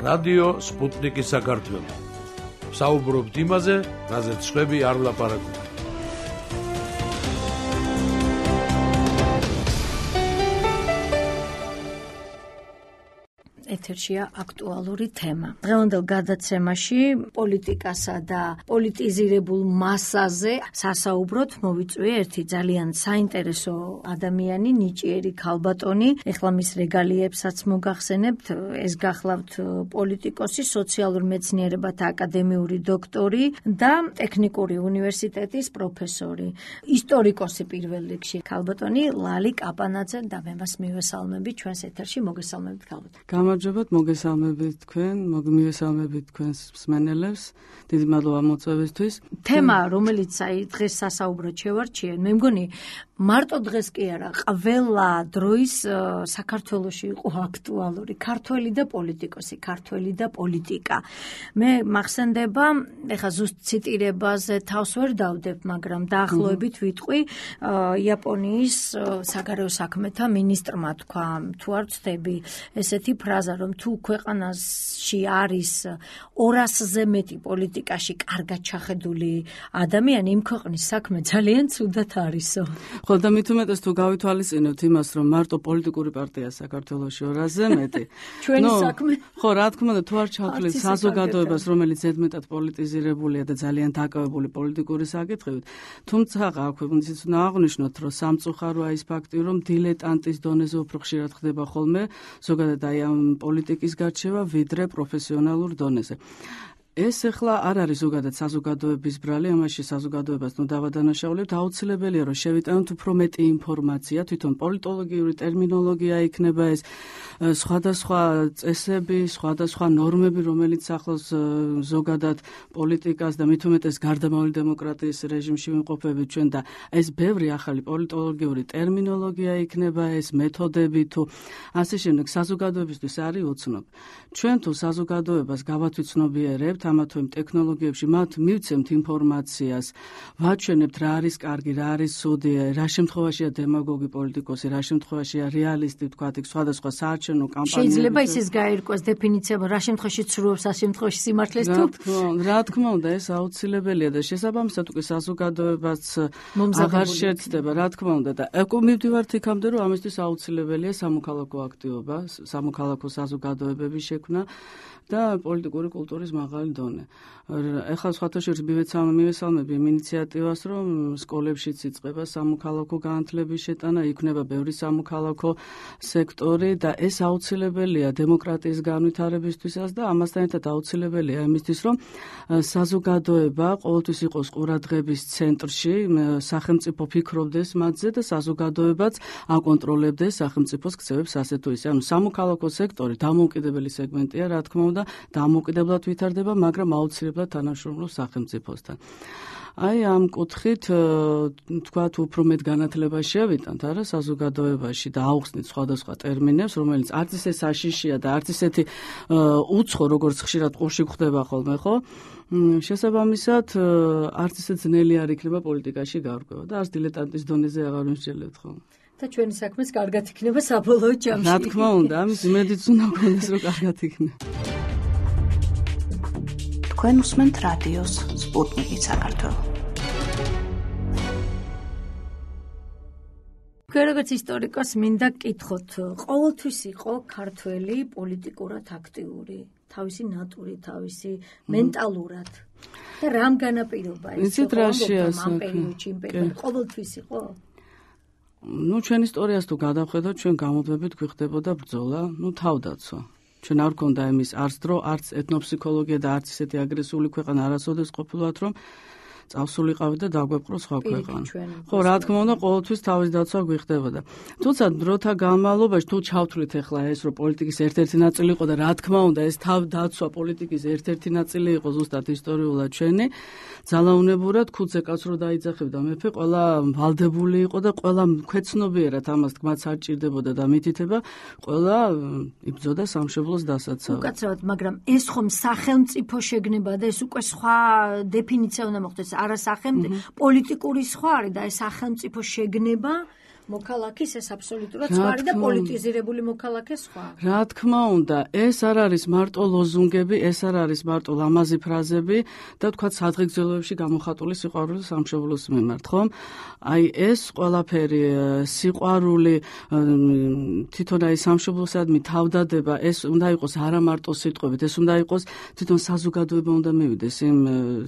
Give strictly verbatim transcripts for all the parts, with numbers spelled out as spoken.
რადიო სპუტნიკი საქართველო. საუბრობთ იმაზე, რაზეც სხვები არ ლაპარაკობენ. ეთერშია აქტუალური თემა. დღევანდელ გადაცემაში პოლიტიკასა და პოლიტიზირებულ მასაზე სასაუბროთ მოვიწვია ერთი ძალიან საინტერესო ადამიანი, ნიჭიერი ქალბატონი. ეხლა მის რეგალიებსაც მოგახსენებთ. ეს გახლავთ პოლიტიკოსი, სოციალურ მეცნიერებათა აკადემიური დოქტორი და ტექნიკური უნივერსიტეტის პროფესორი. ისტორიკოსი პირველ რიგში ქალბატონი ლალი კაპანაძე და მე მას მივესალმებით ჩვენს ეთერში. მოგესალმებით ქალბატონი. გამარჯობათ, მოგესალმებით თქვენ, მოგმივესალმებით თქვენს მსმენელებს. დიდი მადლობა მოწვევისთვის. თემა, რომელიც აი დღეს სასაუბროდ შევარჩიეთ, მე მგონი მარტო დღეს კი არა, ყველა დროის საქართველოში იყო აქტუალური. ქართველი და პოლიტიკოსი, ქართველი და პოლიტიკა. მე მახსენდება, ეხა ზუსტ ციტირებაზე თავს ვერ დავდებ, მაგრამ დაახლოებით ვიტყვი, იაპონიის საგარეო საქმეთა მინისტრმა თქვა, თუ არ ვცდები, ესეთი ფრაზა, რომ თუ ქვეყანაში არის ორასზე მეტი პოლიტიკაში კარგად ჩახედული ადამიანი, იმ ქვეყნის საქმე ძალიან ცუდად არისო. ხო, და მით უმეტეს თუ გავითვალისწინებთ იმას, რომ მარტო პოლიტიკური პარტია საქართველოში ორასზე მეტი. ჩვენი საქმე. ხო, რა თქმა უნდა, თუ არ ჩავთვლით საზოგადოებას, რომელიც ზედმეტად პოლიტიზირებულია და ძალიან დაკავებული პოლიტიკური საკითხებით, თუმცა აქვე ისიც უნდა აღვნიშნოთ, რომ სამწუხაროა ის ფაქტი, რომ დილეტანტის დონეზე უფრო ხშირად ხდება ხოლმე, ზოგადად აი ამ პოლიტიკის გარჩევა, ვიდრე პროფესიონალურ დონეზე. ეს ახლა არ არის ზოგადად საზოგადოების ბრალი, ამაში საზოგადოებას ნუ დავადანაშაულებთ, აუცილებელია რომ შევიტანოთ უფრო მეტი ინფორმაცია, თვითონ პოლიტოლოგიური ტერმინოლოგია იქნება ეს, სხვადასხვა წესები, სხვადასხვა ნორმები, რომელიც ახლავს ზოგადად პოლიტიკას და მით უმეტეს გარდამავალი დემოკრატიის რეჟიმში ვიმყოფებით ჩვენ და ეს ბევრი ახალი პოლიტოლოგიური ტერმინოლოგია იქნება, ეს მეთოდები თუ ასე შემდეგ საზოგადოებისთვის არის უცნობ. ჩვენ თუ საზოგადოებას გავათვითცნობიერებთ ამა თუ იმ ტექნოლოგიებში, მათ მივცემთ ინფორმაციას, ვაჩვენებთ რა არის კარგი, რა არის ცუდი, რა შემთხვევაშია დემაგოგი პოლიტიკოსი, რა შემთხვევაშია რეალისტი, თქვათ, იქ სხვადასხვა საარჩევნო კამპანიები. შეიძლება ისიც გაირკვეს დეფინიცია, რა შემთხვევაში ცრუობს, რა შემთხვევაში სიმართლეს თუ? რა თქმა უნდა, ეს აუცილებელია და შესაბამისად უკვე საზოგადოებას აღარ შეცდება, რა თქმა უნდა და ეკო მივდივართ იქამდე, რომ ამისთვის აუცილებელია სამოქალაქო აქტივობა, სამოქალაქო საზოგადოებების შექმნა და პოლიტიკური კულტურის მაღალი დონე. ეხლა სხვათა შორის მივესალმები იმ ინიციატივას, რომ სკოლებშიც იწყება სამოქალაქო განათლების შეტანა, იქნება ბევრი სამოქალაქო სექტორი და ეს აუცილებელია დემოკრატიის განვითარებისთვისაც და ამასთან ერთად აუცილებელია იმისთვის, რომ საზოგადოება ყოველთვის იყოს ყურადღების ცენტრში, სახელმწიფო ფიქრობდეს მათზე და საზოგადოებაც აკონტროლებდეს სახელმწიფოს ქცევებს ასე თუ ისე. ანუ სამოქალაქო სექტორი დამოუკიდებელი სეგმენტია, რა თქმა უნდა, დამოუკიდებლად ვითარდება, მაგრამ აუცილებლად თანამშრომლობს სახელმწიფოსთან. აი ამ კუთხით თქვათ უფრო მეტ განათლებას შევიტანთ არა საზოგადოებაში და აუხსნით სხვადასხვა ტერმინებს, რომელიც არც ისე საშიშია და არც ისეთი უცხო, როგორც ხშირად ყურში გვხდება ხოლმე, ხო? შესაბამისად, არც ისე ძნელი არ იქნება პოლიტიკაში გარკვევა და არც დილეტანტის დონეზე აღარ ვიმსჯელებთ ხოლმე. და ჩვენი საქმეს კარგად იქნება საბოლოო ჯამში. რა თქმა უნდა, ამის იმედიც უნდა გქონდეს, რომ კარგად იქნება. თქვენ უსმენთ რადიოს სპუტნიკი საქართველო. თქვენ როგორც ისტორიკოსი მინდა გკითხოთ, ყოველთვის იყო ქართველი პოლიტიკურად აქტიური, თავისი ნატურით, თავისი მენტალურად. და რამ განაპირობა ეს? ამ პერიოდში, იმ პერიოდში ყოველთვის იყო? ნუ ჩვენ ისტორიას თუ გადავხედოთ, ჩვენ გამოდვებით გვიხდებოდა ბრძოლა, ნუ თავდაცვა. ჩვენ არ გქონდა იმის არც დრო, არც ეთნოფსიქოლოგია და არც ისეთი აგრესიული ქვეყანა არასოდეს ყოფილვათ, რომ წავსულიყავით და დაგვეპყრო სხვა ქვეყანა. ხო, რა თქმა უნდა, ყოველთვის თავის დაცვა გვიხდებოდა. თუმცა დროთა განმავლობაში თუ ჩავთვლით ახლა ეს, რომ პოლიტიკის ერთ-ერთი ნაწილი იყო და რა თქმა უნდა, ეს თავ დაცვა პოლიტიკის ერთ-ერთი ნაწილი იყო ზუსტად ისტორიულად ჩვენი, ძალაუნებურად ქუძე კაცს რო დაიძახებდა მეფე, ყველა ვალდებული იყო და ყველა ქვეცნობიერად ამას თქმაც არ ჭირდებოდა და მითითება, ყველა იბრძოდა სამშობლოს დასაცავად. უკაცრავად, მაგრამ ეს ხომ სახელმწიფო შეგნება და ეს უკვე სხვა დეფინიცია უნდა მოხდეს. არა სახელმწიფო პოლიტიკური სხვა არის და ეს სახელმწიფო შეგნება მოქალაქის ეს აბსოლუტურად სხვა არის და პოლიტიზირებული მოქალაქე სხვა. რა თქმა უნდა, ეს არ არის მარტო ლოზუნგები, ეს არ არის მარტო ლამაზი ფრაზები და თქვა სადღეგრძელოებში გამოხატული სიყვარული სამშობლოს მიმართ, ხომ? აი ეს ყველაფერი სიყვარული თვითონ აი სამშობლოსადმი თავდადება, ეს უნდა იყოს არა მარტო სიტყვებით, ეს უნდა იყოს თვითონ საზოგადოება უნდა მივიდეს იმ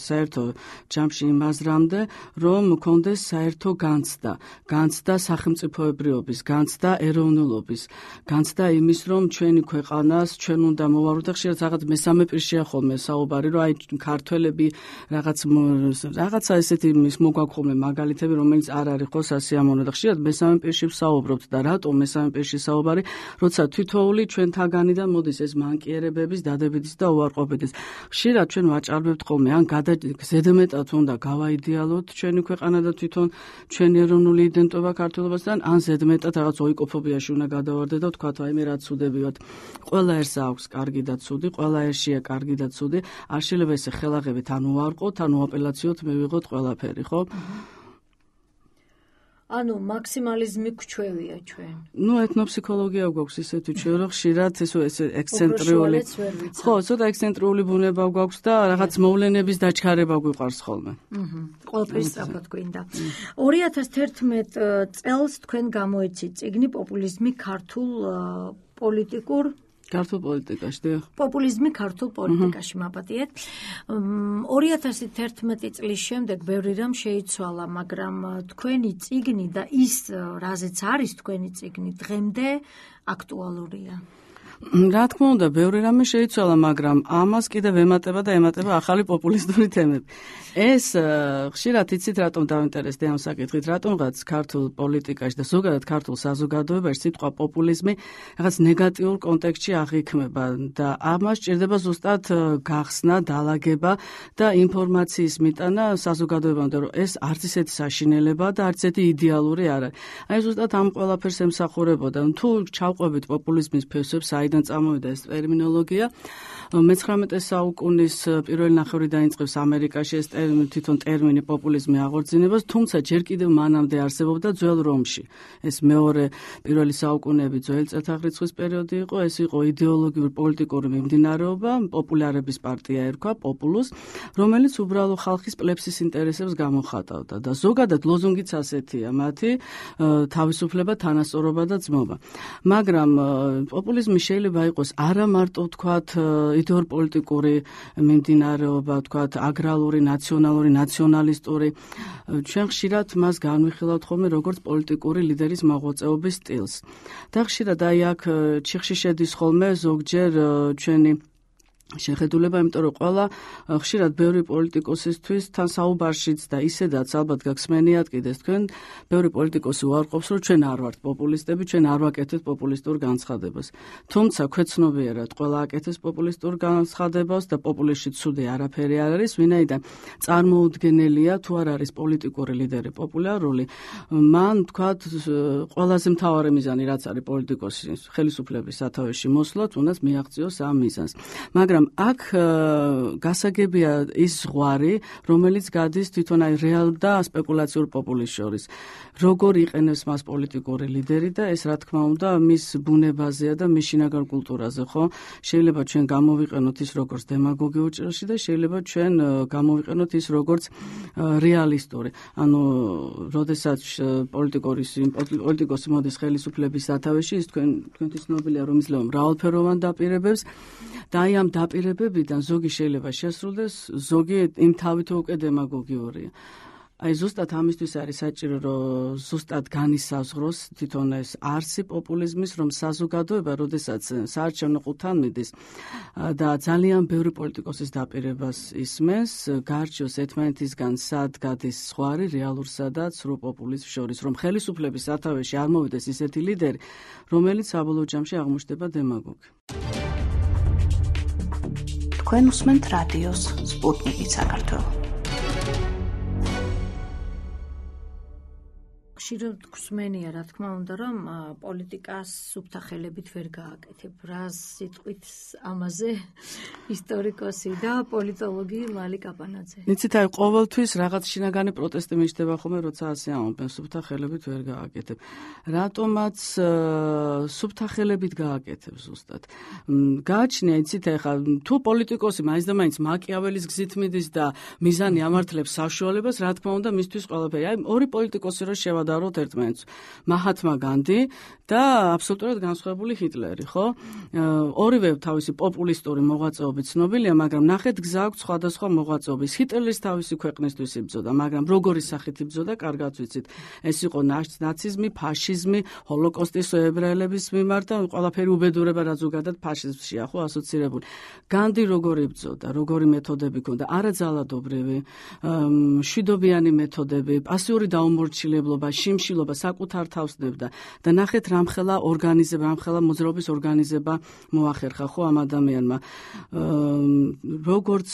საერთო ჯამში იმ აზრამდე, რომ მქონდეს საერთო განცდა, განცდა სახელმწიფოებრიობის, განცდა ეროვნულობის, განცდა იმის, რომ ჩვენი ქვეყანას ჩვენ უნდა მოვარდოთ და ხშირად რაღაც მესამე პირშია ხოლმე საუბარი, რომ აი ქართველები რაღაც რაღაცა ესეთი ის მოგვაქვს ხოლმე მაგალითები, რომელიც არ არის ხო სასიამოვნო და ხშირად მესამე პირში ვსაუბრობთ და რატომ მესამე პირში საუბარი, როცა თითოეული ჩვენთაგანიდან მოდის ეს მანკიერებების, დადებითის და უარყოფითის. ხშირად ჩვენ ვაჭარბებთ ხოლმე, ან ზედმეტად უნდა გავაიდეალოთ ჩვენი ქვეყანა და თვითონ ჩვენი ეროვნული იდენტობა ქართველობასთან, ან ზედმეტად რაღაც ოიკოფობიაში უნდა გადავარდეთ და ვთქვათ, აი მე რა ცუდები ვართ. ყველა ერთს აქვს კარგი და ცუდი, ყველა ერთშია კარგი და ცუდი. არ შეიძლება ესე ხელაღებით ან უარყოთ, ან უაპელაციოთ მივიღოთ ყველაფერი, ხო? ანუ მაქსიმალიზმი გვჩვევია ჩვენ. ნუ ეთნოფსიქოლოგია გვაქვს ისეთი ჩვენ, რომ ხშირად ეს ეს ექსცენტრიული. ხო, ცოტა ექსცენტრიული ბუნება გვაქვს და რაღაც მოვლენების დაჩქარება გვიყვარს ხოლმე. აჰა. ყველაფერი სწრაფად გვინდა. ორი ათას თერთმეტ წელს თქვენ გამოეცით წიგნი პოპულიზმი ქართულ პოლიტიკურ ქართულ პოლიტიკაში, დიახ. პოპულიზმი ქართულ პოლიტიკაში მაპატიეთ. ორი ათას თერთმეტი წლის შემდეგ ბევრი რამ შეიცვალა, მაგრამ თქვენი წიგნი და ის რაზეც არის თქვენი წიგნი დღემდე აქტუალურია. რა თქმა უნდა, ბევრი რამე შეიცვალა, მაგრამ ამას კიდევ ემატება და ემატება ახალი პოპულისტური თემები. ეს ხშირად იცით რატომ დავინტერესდი ამ საკითხით, რატომღაც ქართულ პოლიტიკაში და ზოგადად ქართულ საზოგადოებაში სიტყვა პოპულიზმი რაღაც ნეგატიურ კონტექსტში აღიქმება და ამას სჭირდება ზუსტად გახსნა, დალაგება და ინფორმაციის მიტანა საზოგადოებამდე, რომ ეს არც ისეთი საშინელებაა და არც ისეთი იდეალური არ არის. აი ზუსტად ამ ყველაფერს ემსახურებოდა. თუ ჩავყვებით პოპულიზმის ფესვებს, აიდან წამოვიდა ეს ტერმინოლოგია. მეცხრამეტე საუკუნის პირველი ნახევარი დაიწყებს ამერიკაში ეს თვითონ ტერმინი პოპულიზმი აღორძინებას, თუმცა ჯერ კიდევ მანამდე არსებობდა ძველ რომში. ეს მეორე პირველი საუკუნეები ძველი წელთაღრიცხვის პერიოდი იყო, ეს იყო იდეოლოგიური პოლიტიკური მიმდინარეობა, პოპულარების პარტია ერქვა, პოპულუს, რომელიც უბრალო ხალხის პლებსის ინტერესებს გამოხატავდა და ზოგადად ლოზუნგიც ასეთია, მათი თავისუფლება, თანასწორობა და ძმობა. მაგრამ პოპულიზმი შეიძლება იყოს არა მარტო ვთქვათ იდეოლოგიური მიმდინარეობა, ვთქვათ აგრარული, ნაციონალური, ნაციონალისტური. ჩვენ ხშირად მას განვიხილავთ ხოლმე როგორც პოლიტიკური ლიდერის მოღვაწეობის სტილს. და ხშირად აი აქ ჩიხში შედის ხოლმე ზოგჯერ ჩვენი შეხედულება, იმიტომ რომ ყველა ხშირად ბევრი პოლიტიკოსისთვის თან საუბარშიც და ისედაც ალბათ გახსმენიათ კიდეს თქვენ, ბევრი პოლიტიკოსი უარყოფს, რომ ჩვენ არ ვართ პოპულისტები, ჩვენ არ ვაკეთებთ პოპულისტურ განცხადებას. თუმცა ქვეცნობიერად ყველა აკეთებს პოპულისტურ განცხადებას და პოპულისტში ცუდი არაფერი არ არის, ვინაიდან წარმოუდგენელია თუ არ არის პოლიტიკური ლიდერი პოპულარული, მან თქვათ ყველაზე მთავარი მიზანი რაც არის პოლიტიკოსის ხელისუფლების სათავეში მოსვლა, თუნდაც მიაღწიოს ამ მიზანს. მაგრამ აქ გასაგებია ის ზღვარი, რომელიც გადის თვითონ აი რეალ და სპეკულაციურ პოპულიზმს შორის. როგორ იყენებს მას პოლიტიკური ლიდერი და ეს რა თქმა უნდა მის ბუნებაზეა და მის შინაგან კულტურაზე, ხო? შეიძლება ჩვენ გამოვიყენოთ ის როგორც დემაგოგიურ ჭრილში და შეიძლება ჩვენ გამოვიყენოთ ის როგორც რეალისტური. ანუ როდესაც პოლიტიკოსი პოლიტიკოსი მოდის ხელისუფლების სათავეში, ის თქვენ თქვენთვის ცნობილია რომ იძლევა მრავალფეროვან დაპირებებს და აი ამ დაპირებებიდან ზოგი შეიძლება შესრულდეს, ზოგი იმ თავით უკვე დემაგოგიურია. აი ზუსტად ამისთვის არის საჭირო, რომ ზუსტად განისაზღვროს თვითონ ეს არსი პოპულიზმის, რომ საზოგადოება, როდესაც საარჩევნო ყუთთან მიდის და ძალიან ბევრი პოლიტიკოსის დაპირებას ისმენს, გარჩევს ერთმანეთისგან სად გადის ზღვარი რეალურსა და ცრუ პოპულიზმს შორის, რომ ხელისუფლების სათავეში არ მოვიდეს ისეთი ლიდერი, რომელიც საბოლოო ჯამში აღმოჩნდება დემაგოგი. თქვენ უსმენთ რადიოს სპუტნიკი საქართველო. ხშირად გვსმენია, რა თქმა უნდა, რომ პოლიტიკას სუფთა ხელებით ვერ გააკეთებ. რა სიტყვით ამაზე ისტორიკოსი და პოლიტოლოგი ლალი კაპანაძე. იცით, აი ყოველთვის რაღაც შინაგანი პროტესტი მიჩნდება ხოლმე, როცა ასე ამბობენ, სუფთა ხელებით ვერ გააკეთებ. რატომაც სუფთა ხელებით გააკეთებ ზუსტად. გააჩნია, იცით, ახლა თუ პოლიტიკოსი მაინც და მაინც მაკიაველის გზით მიდის და მიზანი ამართლებს საშუალებას, რა თქმა უნდა, მისთვის ყველაფერი. აი ორი პოლიტიკოსი რო შევადაროთ ერთმანეთს, მაჰათმა განდი და აბსოლუტურად განსხვავებული ჰიტლერი, ხო? ორივე თავისი პოპულისტური მოღვაწეობით ცნობილია, მაგრამ ნახეთ გზა აქვს სხვადასხვა მოღვაწეობის. ჰიტლერის თავისი ქვეყნისთვის იბრძოდა, მაგრამ როგორი სახით იბრძოდა, კარგად ვიცით. ეს იყო ნაციზმი, ფაშიზმი, ჰოლოკოსტის ებრაელების მიმართ და ყველაფერი უბედურება რაც ზოგადად ფაშიზმშია, ხო, ასოცირებული. განდი როგორი იბრძოდა, როგორი მეთოდები ჰქონდა, არაძალადობრივი, მშვიდობიანი მეთოდები, პასიური დაუმორჩილებლობა, შიმშილობა საკუთარ თავს დებდა და ნახეთ რამხელა ორგანიზება, რამხელა მოძრაობის ორგანიზება მოახერხა ხო ამ ადამიანმა. როგორც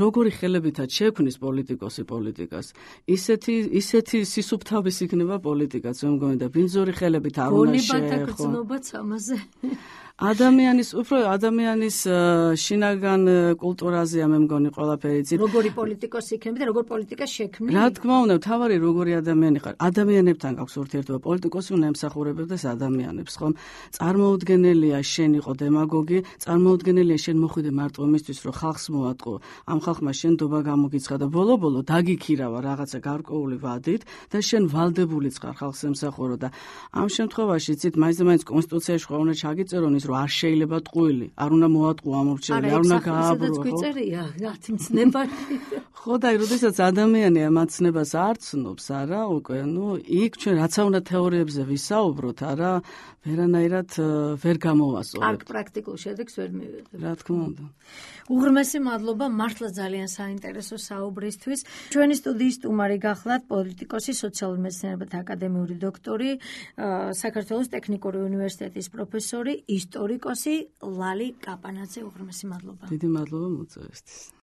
როგორი ხელებითაც შექმნის პოლიტიკოსი პოლიტიკას, ისეთი ისეთი სისუფთავის იქნება პოლიტიკაც, მე მგონი და ბინძური ხელებით არ უნდა შეეხო. გონებათა გრძნობაც ამაზე. ადამიანის უფრო ადამიანის შინაგან კულტურაზეა მე მგონი ყველაფერი იცით. როგორი პოლიტიკოსი იქნება და როგორ პოლიტიკას შექმნი? რა თქმა უნდა, თავარი როგორი ადამიანი ხარ. ადამიანებთან გაქვს ურთიერთობა. პოლიტიკოსი უნდა ემსახურებდეს ადამიანებს, ხომ? წარმოუდგენელია შენ იყო დემაგოგი, წარმოუდგენელია შენ მოხვიდე მარტო იმისთვის, რომ ხალხს მოატყო. ამ ხალხმა შენ დობა გამოგიცხა და ბოლო-ბოლო დაგიქირავა რაღაცა გარკვეული ვადით და შენ ვალდებულიც ხარ ხალხს ემსახურო და ამ შემთხვევაში იცით, მაინც და მაინც კონსტიტუციაში ხო უნდა ჩაგიწერონ ის, რომ არ შეიძლება ტყუილი, არ უნდა მოატყო ამორჩეველი, არ უნდა გააბრო. არა, გვიწერია, რათი მცნებაში. ხო და როდესაც ადამიანი ამ ცნებას არ ცნობს, არა, უკვე, ნუ იქ ჩვენ რაცა უნდა თეორიებზე ვისაუბროთ, არა, ვერანაირად ვერ გამოვასწორებთ. კარგ პრაქტიკულ შედეგს ვერ მივიღებთ. რა თქმა უნდა. უღრმესი მადლობა, მართლა ძალიან საინტერესო საუბრისთვის. ჩვენი სტუდიის სტუმარი გახლავთ პოლიტიკოსი, სოციალურ მეცნიერებათა აკადემიური დოქტორი, საქართველოს ტექნიკური უნივერსიტეტის პროფესორი, ისტორიკოსი ლალი კაპანაძე. უღრმესი მადლობა. დიდი მადლობა მოწვევისთვის.